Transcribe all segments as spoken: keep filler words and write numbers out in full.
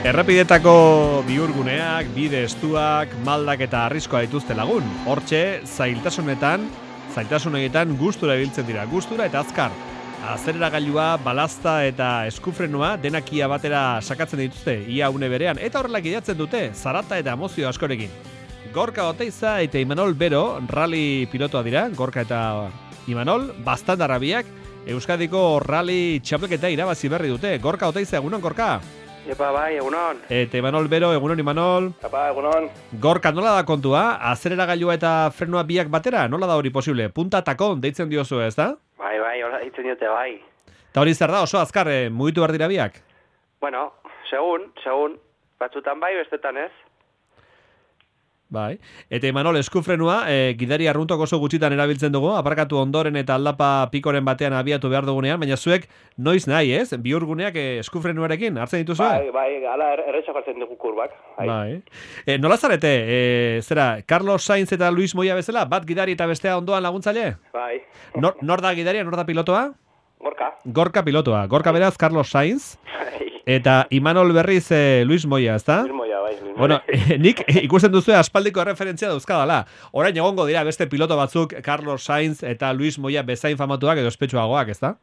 Errepidetako bihurguneak, bide estuak, maldak eta arriskoa dituzte lagun. Hortxe, zailtasunetan, zailtasunetan gustura ibiltzen dira, gustura eta azkar. Azereragailua, balazta eta eskufrenua denak ia batera sakatzen dituzte, ia une berean, eta horrelak idatzen dute, zarata eta emozio askorekin. Gorka Oteiza eta Imanol Bero, rally pilotoa dira, Gorka eta Imanol, bastandarrabiak, Euskadiko rally txapelketa irabazi berri dute. Gorka Oteiza, egunon, Gorka? Epa, bai, egunon. Eta Imanol Bero, egunon, Imanol. Epa, egunon. Gorka, nola da kontua? Azereragailua eta frenoa biak batera? Nola da hori posible? Punta takon deitzen diozu, ez da? Bai, bai, hola deitzen diote, bai. Eta hori zer da, oso azkar, eh, mugitu behar dira biak? Bueno, segun, segun. Batzutan bai, bestetan ez. Bai. Eta Imanol, eskufrenua, e, gidari arruntok oso gutxitan erabiltzen dugu, aparkatu ondoren eta aldapa pikoren batean abiatu behar dugunean, baina zuek noiz nahi, ez? Bihurguneak e, eskufrenuarekin, hartzen dituzu? Bai, bai, ala erretxak hartzen dugu kurbak. Bai. Bai. E, nola zarete, e, zera, Carlos Sainz eta Luis Moya bezala, bat gidari eta bestea ondoan laguntzaile? Bai. Nor, nor da gidaria, nor da pilotoa? Gorka. Gorka pilotoa. Gorka beraz, Carlos Sainz. Bai. Eta Imanol berriz e, Luis Moya, ezta? Luis Moya, bai. Luis Moya. Bueno, eh, nik ikusten duzu aspaldiko referentzia dauzkadala. Orain egongo dira beste piloto batzuk, Carlos Sainz eta Luis Moya bezain famatuak edo espetsuagoak, ezta?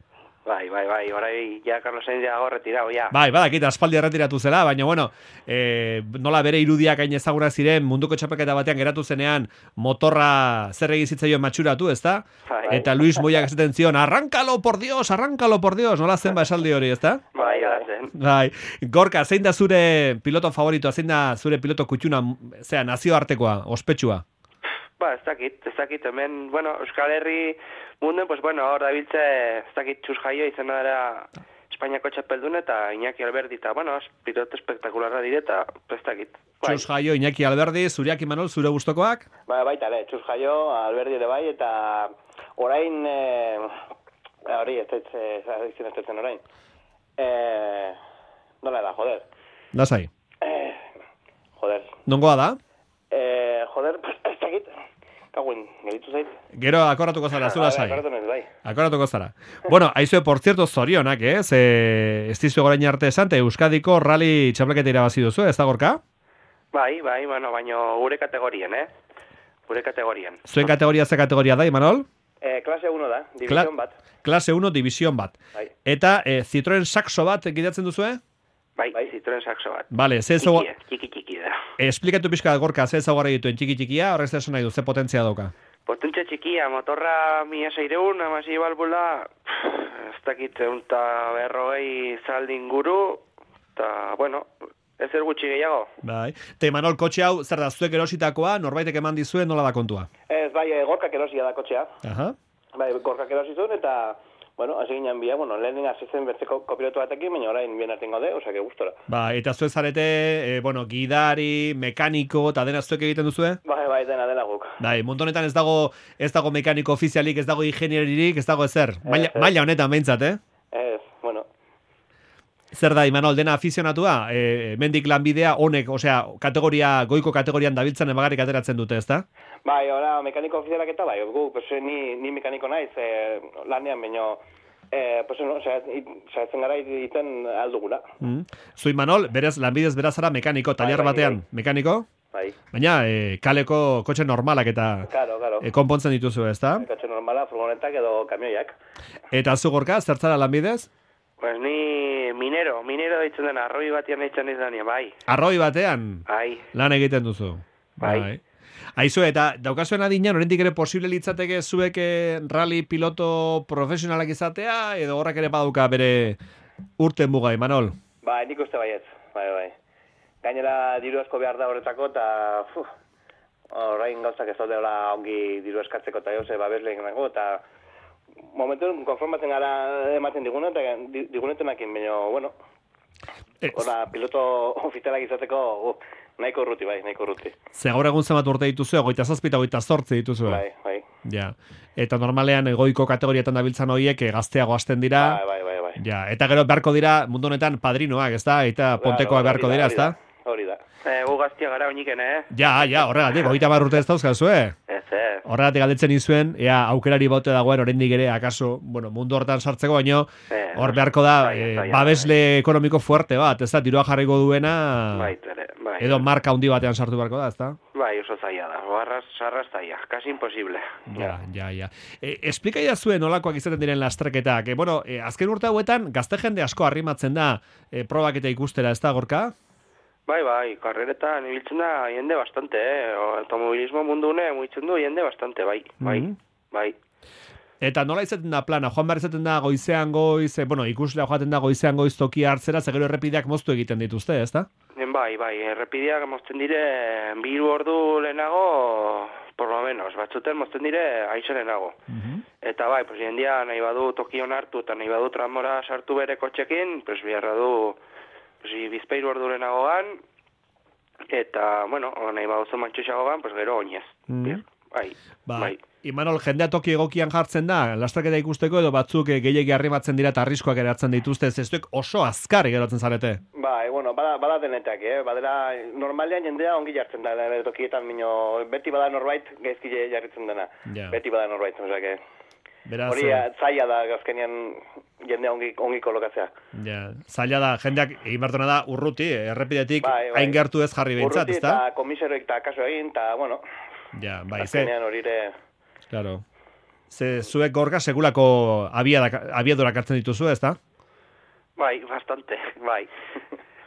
Bai, bai, bai, orai ja Carlos Sainz ja retirado, ja. Bai, badakit aspaldi erretiratu zela, baina bueno, eh, nola bere irudiak hain ezagunak ziren munduko txapelketa batean geratu zenean motorra zer egin zitzaioen matxuratu, ezta? Bai. Eta Luis Moyak esaten zion, arrankalo por Dios, arrankalo por Dios, nola zen ba esaldi hori, ezta? Bai, bai, zen. Bai, Gorka, zein da zure piloto favoritoa, zein da zure piloto kutxuna, zera, nazioartekoa, ospetsua? Ba, ez dakit, ez dakit, hemen, bueno, Euskal Herri munden, pues bueno, hor dabiltze, ez dakit, Txus Jaio izena dara Espainiako txapeldun eta Iñaki Alberdi, eta, bueno, piloto espektakularra direta, ez dakit. Bai. Txus Jaio, Iñaki Alberdi, zureak Imanol, zure gustokoak? Ba, baita, ere, Txus Jaio, Alberdi ere bai, eta orain, e, hori, ez ez ez orain. E, nola da, joder. Lasai. E, joder. Nongoa da? E, joder, ez dakit. Kaguin, geritu zait. Gero akorratuko zara, zu lasai. Akorratu nez, bai. Akorratuko zara. Bueno, aizue, por cierto, zorionak, ez? Eh, ez dizu gorain arte esan, te Euskadiko rally txapelketa irabazi duzu, ez da, Gorka? Bai, bai, bueno, baino gure kategorien, eh? Gure kategorien. Zuen kategoria ze kategoria da, Imanol? E, klase uno da, division Kla bat. Klase uno, division bat. Bai. Eta eh, Citroen Saxo bat gidatzen duzue? Bai, Bai. Citroen Saxo bat. Vale, ze ezau... Txiki, txiki, txiki da. Esplikatu pixka Gorka, ze ezaugarri dituen txiki-txikia, horrez esan nahi du, ze potentzia dauka? Potentzia txikia, motorra mila seireun, amasi balbula, ez dakit, eta berrogei zaldi inguru, eta, bueno, ez er gutxi gehiago. Bai. Te Imanol, kotxe hau, zer da, zuek erositakoa, norbaitek eman dizuen, nola da kontua? Ez, bai, e, gorkak erosia da kotxea. Aha. Bai, gorkak erosi zuen, eta, bueno, hasi ginen bia, bueno, lehenin hasi zen bertzeko kopilotu batekin, baina orain bien artengo de, osea, que gustora. Ba, eta zuek zarete, e, bueno, gidari, mekaniko, eta dena zuek egiten duzue? Bai, bai, dena, dena guk. Bai, mundu honetan ez dago, ez dago mekaniko ofizialik, ez dago ingenieririk, ez dago ezer. Maila, Ez, ez. maila honetan behintzat, eh? Ez, bueno, Zer da, Imanol, dena afizionatua? E, mendik lanbidea honek, osea, kategoria, goiko kategorian dabiltzen emagarrik ateratzen dute, ezta? bai, ora, mekaniko ofizialak eta bai, gu, pues, ni, ni mekaniko naiz, e, lanean, baino, e, pues, no, saiatzen gara iten aldugula. Mm. Zu Imanol, berez, lanbidez berazara mekaniko, taliar bai, bai, batean, bai. mekaniko? Bai, Baina, e, kaleko kotxe normalak eta claro, claro. e, konpontzen dituzu, ezta? Kotxe normala, furgonetak edo kamioiak. Eta zu Gorka, zertzara lanbidez? Pues ni minero, minero deitzen dena, arroi batian deitzen izan, bai, Arroi batean, bai, lan egiten duzu. Bai. Aizu, eta daukazuen adinean, oraindik ere posible litzateke zuek eh, rally piloto profesionalak izatea, edo horrek ere baduka bere urten muga, Imanol? Bai, nik uste baietz, bai, bai. Gainera diru asko behar da horretako, eta fu, orain gauzak ez daudela ongi diru eskatzeko eta jose babesleen nago, eta momentuen konformatzen gara ematen diguna, eta di- digunetenakin, baina, bueno, Ez. Hora, piloto ofizialak izateko uh, nahiko urruti, bai, nahiko urruti. Ze gaur egun zenbat urte dituzu, goita zazpi eta goita zortzi dituzu. Bai, bai. Ja. Eta normalean goiko kategoriatan dabiltzan horiek eh, gazteago hasten dira. Bai, bai, bai, bai. Ja, eta gero beharko dira mundu honetan padrinoak, ezta? Eta pontekoak beharko Hori da, dira, hori da, ezta? Hori da. e, gu gaztia gara oiniken, eh? Ja, ja, horregatik, goita hamar urte ez dauzkazu, eh? Ez, Zer. Horregatik galdetzen izuen, ea aukerari bote dagoen oraindik ere, akaso, bueno, mundu hortan sartzeko, baino, Eh, hor beharko da, zaila, eh, zaila, babesle ekonomiko fuerte bat, ez da, dirua jarriko duena, Bai, ere, bai. edo marka handi batean sartu beharko da, ez da? Bai, oso zaila da, barraz, sarraz zaila, casi imposible. Ja, ja, ja. E, esplika zuen nolakoak izaten diren lasterketak. E, bueno, e, azken urte hauetan, gazte jende asko arrimatzen da e, probak eta ikustera, ez da, Gorka? Bai, bai, karreretan ibiltzen da jende bastante, eh? O, automobilismo mundune mugitzen du jende bastante, bai, bai, Mhm. bai. Eta nola izaten da plana? Joan behar izaten da goizean goiz, e, bueno, ikuslea joaten da goizean goiz tokia hartzera, zegero errepideak moztu egiten dituzte, ez da? Bai, bai, errepideak mozten dire biru ordu lehenago, por lo menos, batzuten mozten dire aize lehenago. Eta bai, pues jendia nahi badu tokion hartu eta nahi badu tramora sartu bere kotxekin, pues biharra du pues, bizpeiru ordu lehenago gan, eta, bueno, nahi badu mantxuxago gan, pues gero oinez. Mhm. Bai, Ba, bai. Imanol, jendea toki egokian jartzen da, lasterketa ikusteko edo batzuk e, gehiegi arrimatzen dira eta arriskoak eratzen dituzte, ez zuek oso azkar geratzen zarete. Bai, bueno, bada, bada denetak, eh? Badera, normalean jendea ongi jartzen da, nire tokietan, mino, beti bada norbait gaizki jarritzen dena. Ja. Beti bada norbait, osea, Beraz, hori eh, zaila da gazkenean jendea ongi, ongi kolokatzea. ja, zaila da, jendeak egin behartuna da urruti, errepidetik Bai, bai. hain gertu ez jarri behintzat, Urruti ez da? eta komisaroik eta kaso egin, eta, bueno, Ja, bai, ze, azkenean hori ere... claro. Ze, zuek Gorka segulako abiadak- abiadurak hartzen dituzu, ez da? Bai, bastante, bai.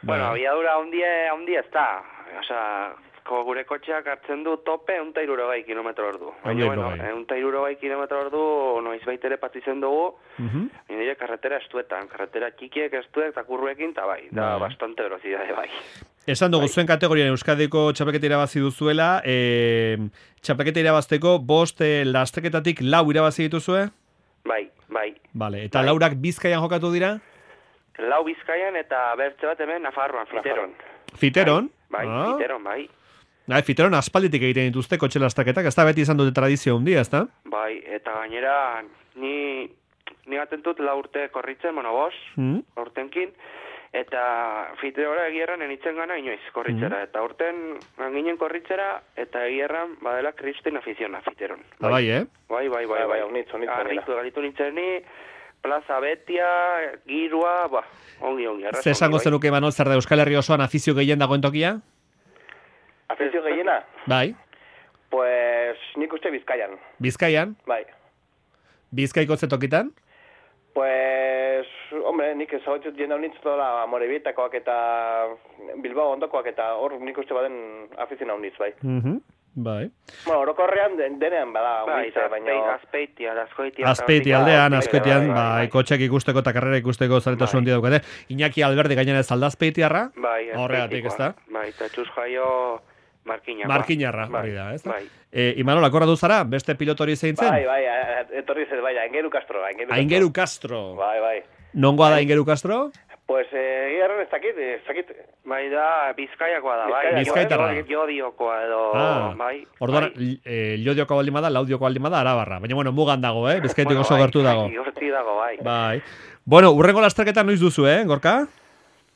Bueno, abiadura ondie, ondie ez da. Osea, ko gure kotxeak hartzen du tope ehun eta hirurogei kilometro ordu. Baina, bueno, hirurogei. ehun eta hirurogei kilometro ordu noiz baitere patitzen dugu, Mhm. nire karretera estuetan, karretera txikiek estuek eta kurruekin, eta bai, da Bai. bastante velocidade, bai. Esan dugu, zuen kategorian Euskadiko txapelketa irabazi duzuela, e, txapelketa irabazteko bost e, lasterketatik lau irabazi dituzue? Bai, bai. Vale, eta Bai. laurak Bizkaian jokatu dira? Lau Bizkaian eta bertze bat hemen Nafarroan, Fiteron. Fiteron? Bai, Ah. Fiteron, bai. Bai, Fiteron aspalditik egiten dituzte kotxe lasterketak, ez da beti izan dute tradizio handia, ez da? Bai, eta gainera ni ni baten dut lau urte korritzen, bueno, bos, Mm. urtenkin, eta Fiterora egierran enitzen gana inoiz korritzera, eta urten ginen korritzera, eta egierran badela kristin afiziona Fiteron. Ah, bai, eh? Bai, bai, bai, Bai, bai, bai. onitz, onitz Arritu, galitu nintzen ni, Plaza Betia, girua, ba, ongi, ongi. arras Ze esango ongi, bai. zenuke Manol, zer da Euskal Herri osoan afizio gehien dagoen tokia? Afizio gehiena? Bai, Pues nik uste Bizkaian, Bizkaian, bai. Bizkaiko ze tokitan? Pues, hombre, nik ezagutzen jende honitz dola Amorebietakoak eta Bilbao ondokoak eta hor nik uste baden afiziona honitz, bai. Mhm. Bai. Bueno, orokorrean den- denean bada Bai, honitz, eta baina... Azpeitia, Azkoitia. Azpeiti eta aldean, Hortik, azpeitian, bai, bai, bai, kotxeak ikusteko eta karrera ikusteko zaretasun Bai. handia daukate. Iñaki Alberdi gainera ez alda azpeitiarra? Bai, Horregatik, ez da? Azpeitikoa. Bai, eta txuz jaio Markinakoa. Markinarra, Bai, hori da, ez da? Bai. E, Imanol, akorratu zara, beste pilotori zein zen? Bai, bai, a- etorri zen, bai, Aingeru Castro, Aingeru Castro. Aingeru Castro. Bai, bai. Nongoa da Aingeru Castro? Pues, eh, egiarren ez dakit, ez dakit. Bai da, Bizkaiakoa da, bai. Bizkaia- Bizkaitarra. Jo- Jodiokoa edo, Ah, bai. orduan, bai. eh, Llodioko baldin bada, Laudioko baldin bada, Arabarra. Baina, bueno, mugan dago, eh? Bizkaitik Bueno, oso bai, gertu dago. bai, hortik dago, bai. Bai. Bueno, urrengo lasterketa noiz duzu, eh, Gorka?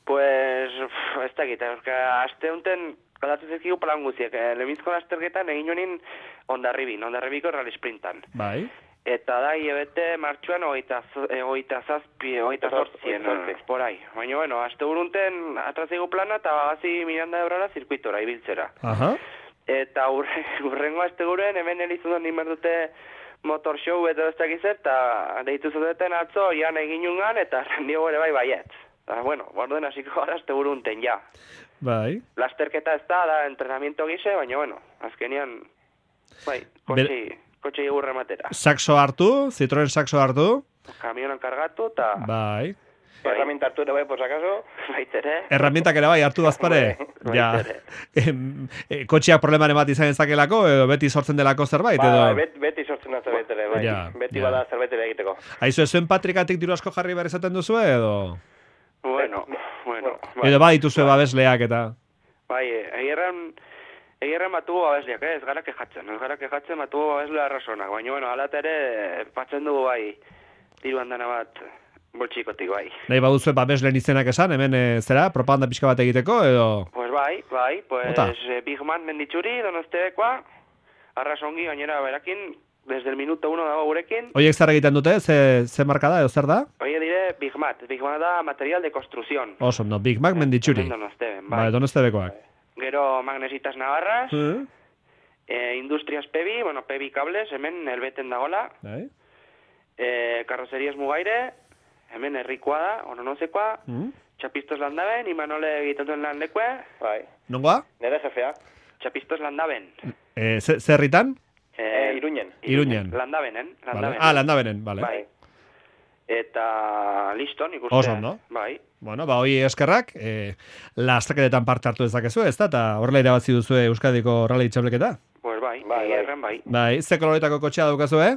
Pues, pff, ez dakit, euska, aste honetan, galatu zezkigu plan guziek. Eh, Lehenbizko lasterketan egin honin Ondarribin, Ondarribiko rally sprintan. Bai. Eta da, hilabete martxuan hogeita zo- eh, hogeita zazpi, hogeita zortzien, Zortzi. por ahí. Baina, bueno, aste burunten atrazigu plana eta bagazi Miranda Ebrara zirkuitora, ibiltzera. Aha. Eta urre, urrengo aste guren, hemen elizun nimar dute motor show eta ez dakiz eta deitu zuten atzo, jan egin ungan, eta rendio ere bai baiet. Eta, bueno, borden hasiko gara aste burunten, ja. Bai. Lasterketa ez da, da entrenamiento gise, baina, bueno, azkenian, bai, kotxi, kotxi egurre matera. Saxo hartu, Citroen saxo hartu. Kamionan kargatu, eta Bai. Bai. Herramienta hartu ere bai, por si acaso. baitere. Erramientak ere bai hartu bazpare. Bai, Ja. baitere. Em, e, Kotxeak problemaren bat izan ezakelako, edo beti sortzen delako zerbait, Bai, edo... bai, bet, beti sortzen da zerbait ere, bai. Ja, Beti ja. bada zerbait ere egiteko. Aizu, zuen patrikatik diru asko jarri behar izaten duzu, edo... Bueno, bueno, bai. Edo badituzue babesleak eta... Bai, egirren, egirren batugu babesleak, eh? ez gara kejatzen, ez gara kejatzen batugu babeslea arrazonak, baina, bueno, alat ere, patzen dugu bai, diru handana bat, boltsikotik bai. Nahi baduzue babesleen izenak esan, hemen e, zera, propaganda pixka bat egiteko, edo... Pues bai, bai, pues Ota. eh, Big Man menditxuri, donostekoa, arras ongi, gainera berakin, desde el minuto uno dago gurekin. Oiek zer egiten dute, ze, ze marka da, edo zer da? Oie dire Big Mat, Big Mat da material de construcción. Oso, no, Big Mac menditxuri. Hemen Donosteben, bai. Bai, Donostebekoak. Gero Magnesitas Navarras, Eh? eh, Industrias Pebi, bueno, Pebi Cables, hemen elbeten dagola. Bai. Eh, Carrocerías Mugaire, hemen herrikoa da, ononozekoa. Mm. Txapistos Landaben, Imanole egiten duen lan lekue. Bai. Nongoa? Nere jefea. Txapistos Landaben. Eh, ze, ze herritan? Eh, Iruñen. Iruñen. Landabenen. Vale. Landabenen. Ah, landabenen, vale. Bai. Eta listo, nik uste. Oso ondo. Bai. Bueno, ba, hoi eskerrak, eh, lastraketetan parte hartu dezakezu, ez da? Eta horrela irabazi duzu Euskadiko rally txableketa? Pues bai, Bai, bai, bai. bai. Bai, ze koloretako kotxea daukazu, eh?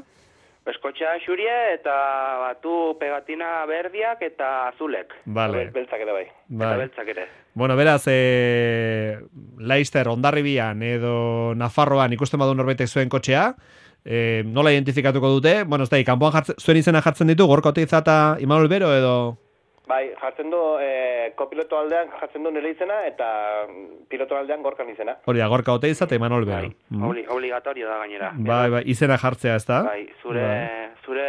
Eskotxa xurie eta batu pegatina berdiak eta azulek. Vale. Beltzak ere bai. Eta Bai. beltzak ere. Bueno, beraz, eh, Laister, Hondarribian edo Nafarroan ikusten badu norbaitek zuen kotxea, eh, nola identifikatuko dute? Bueno, ez da, kanpoan jartzen, zuen izena jartzen ditu, Gorka Oteiza eta Imanol Bero edo... Bai, jartzen du, eh, kopiloto aldean jartzen du nire izena, eta piloto aldean gorkan izena. Hori da, Gorka Oteiza eta Imanol Bero. Bai, Mm. obli, obligatorio da gainera. Bai, bai, izena jartzea, ez da? Bai, zure, Bai. zure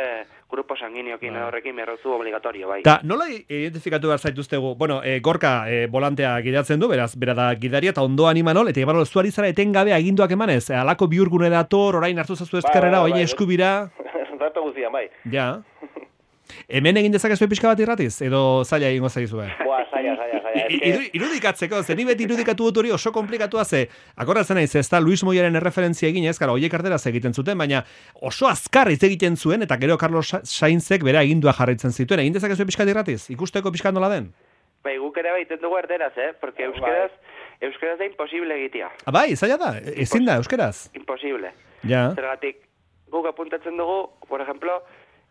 grupo sanguineokin Bai. horrekin berrozu obligatorio, bai. Ta, nola identifikatu behar zaituztegu? Bueno, eh, Gorka eh, volantea gidatzen du, beraz, bera da gidaria, eta ondoan Imanol, eta Imanol zuari zara etengabe aginduak emanez, eh, alako bihurgune dator, orain hartu zazu ezkerrera, bai, oin bai. eskubira, Rato guztian, bai. ja. Hemen egin dezakezu pixka bat irratiz, edo zaila egingo zaizue? Boa, saia, saia, saia. I- iru- Irudikatzeko, ze ni beti irudikatu dut hori oso komplikatua ze, akordatzen naiz, ez da Luis Moyaren erreferentzia eginez, gara, oiek arteraz egiten zuten, baina oso azkar hitz egiten zuen, eta gero Carlos Sa- Sainzek bera agindua jarraitzen zituen, egin dezakezu pixka bat irratiz, ikusteko pixka nola den? Bai, guk ere baiten dugu erderaz, eh? Porque euskeraz, euskeraz da imposible egitea. Ah, bai, zaila da, ezin da, euskeraz. Imposible. Ja, Zergatik, guk apuntatzen dugu, por ejemplo,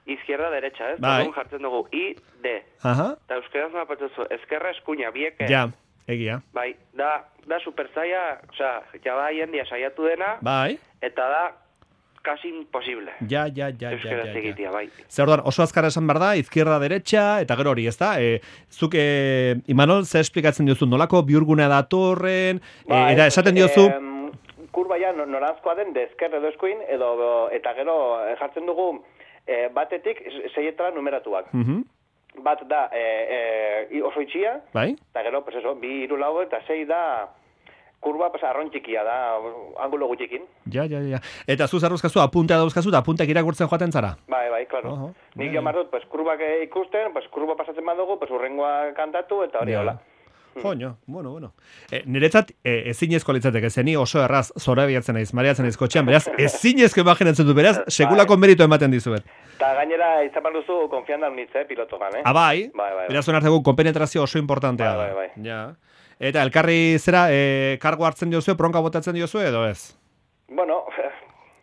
izquierda derecha, ez? Bai. Orduan jartzen dugu I, D. aha, Eta euskeraz nola patzuzu, ezkerra eskuina, bieke. ja, egia, Bai, da, da super zaila, osea, jaba jendia saiatu dena, bai, eta da casi imposible. ja, ja, ja, ja, Euskaraz ja, ja. egitea, bai. Zer orduan, oso azkar esan behar da, izquierda derecha, eta gero hori, ez da? E, zuk, e, Imanol, ze esplikatzen diozu, nolako bihurgunea datorren, e, eta esaten diozu... Em, kurba ja no- noranzkoa den, dezker edo eskuin, edo, eta gero eh, jartzen dugu eh, batetik seietara numeratuak. Mhm, Bat da eh, eh, oso itxia, bai? eta gero, pues eso, bi hiru lau eta sei da kurba, pues arron txikia da, angulo gutxikin. Ja, ja, ja. Eta zu zarruzkazu, apuntea dauzkazu, eta apunteak irakurtzen joaten zara? Bai, bai, claro. Oho, Nik bai, jo dut, pues kurbak eh, ikusten, pues kurba pasatzen badugu, pues urrengoa kantatu, eta hori Ja. hola. Joño, bueno, bueno. E, niretzat e, ezinezko litzateke, zeni oso erraz zorabiatzen naiz, mareatzen naiz kotxean, beraz, ezinezko imaginatzen du, beraz, sekulako meritu ematen dizuet. Eta gainera, izan behar duzu, konfianda unitze, eh, pilotogan, eh? Ah, bai, Bai, bai, bai. beraz, onartegu, konpenetrazio oso importantea Bai, da. bai, bai. Ja. Eta elkarri zera, e, kargo hartzen diozu, bronka botatzen diozu, edo ez? Bueno,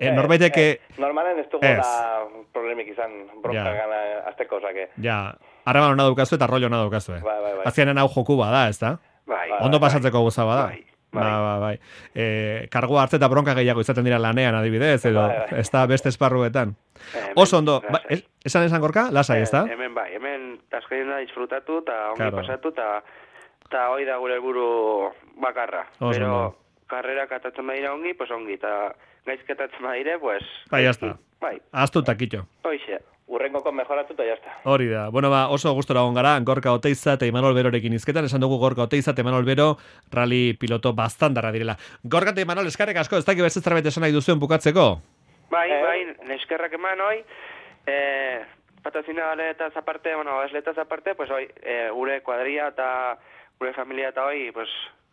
Eh, norbaitek, eh, normalen ez dugu ez. da problemik izan bronka Ja. gana azteko, osake. Ja, harreman hona daukazu eta rollo hona daukazu. Bai, bai, bai. Azkenean hau joku bada, ez da? Bai, Ondo pasatzeko goza bada. Bai, bai. Ba, ba, bai. E, kargo hartze eta bronka gehiago izaten dira lanean adibidez, edo Bai, bai. ez da beste esparruetan. Hemen, Oso ondo, ba, lasai. es- esan esan gorka, lasai, ez da? Eh, Hemen bai, hemen azkenean da disfrutatu eta ongi Claro. pasatu eta eta hori da gure helburu bakarra. Oso Pero ondo. karrerak atatzen badira ongi, pues ongi, eta gaizketatzen badire, pues... Bai, jazta. Bai, Aztu takitxo. hoixe. Urrengoko mejoratu eta jazta. Hori da. Bueno, ba, oso gustora egon gara, Gorka Oteiza eta Imanol Berorekin izketan, esan dugu Gorka Oteiza eta Imanol Bero rally piloto bastandarra direla. Gorka eta Imanol, eskarek asko, ez dakik beste zerbait esan nahi duzuen bukatzeko? Bai, Eh. bai, neskerrak eman hoi, eh, patrocinadores aparte, bueno, esletas aparte, pues hoi, eh, gure kuadria eta gure familia eta hoi, pues,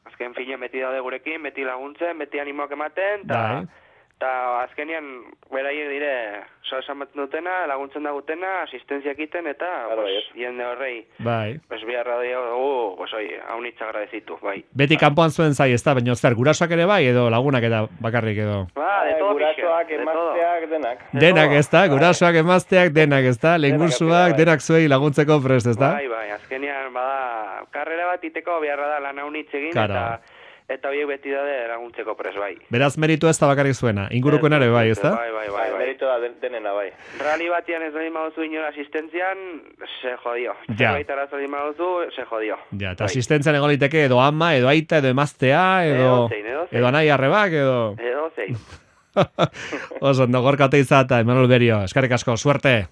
azken fina beti daude gurekin, beti laguntzen, beti animoak ematen, eta Bai. eta azkenian beraiek dire, so esan batzen dutena, laguntzen da gutena, asistentzia egiten, eta, Claro, pues, baietz. jende horrei, Bai. pues, biharra dugu, pues, hoi, haunitza agradezitu, bai. Beti kanpoan zuen zai, ez da, baina zer, gurasoak ere bai, edo lagunak eta bakarrik edo. Ba, de Eh, todo, gurasoak, pixka, de todo. emazteak, denak. De Denak todo. ez da, gurasoak emazteak denak ez da, lehengursuak bai. denak zuei laguntzeko prest ez da? Bai, bai, azkenean, bada, karrera bat iteko beharra da lan haunitz egin, Claro. eta eta horiek beti daude laguntzeko pres, bai. Beraz meritu ez da bakarrik zuena, ingurukoen ere bai, ez da? Bai, bai, bai, Bai, bai. merito da den- denena, bai. Rally batian ez doi maduzu inora asistentzian, se jodio. Ja. Zerbait arazo maduzu, se jodio. Ja, eta Bai. asistentzian egon liteke edo ama, edo aita, edo emaztea, edo, Edozein, edozein. edo anai arrebak, edo... Edo zein. Oso, ondo gorka oteiza eta Emanuel Berio, eskarrik asko, suerte!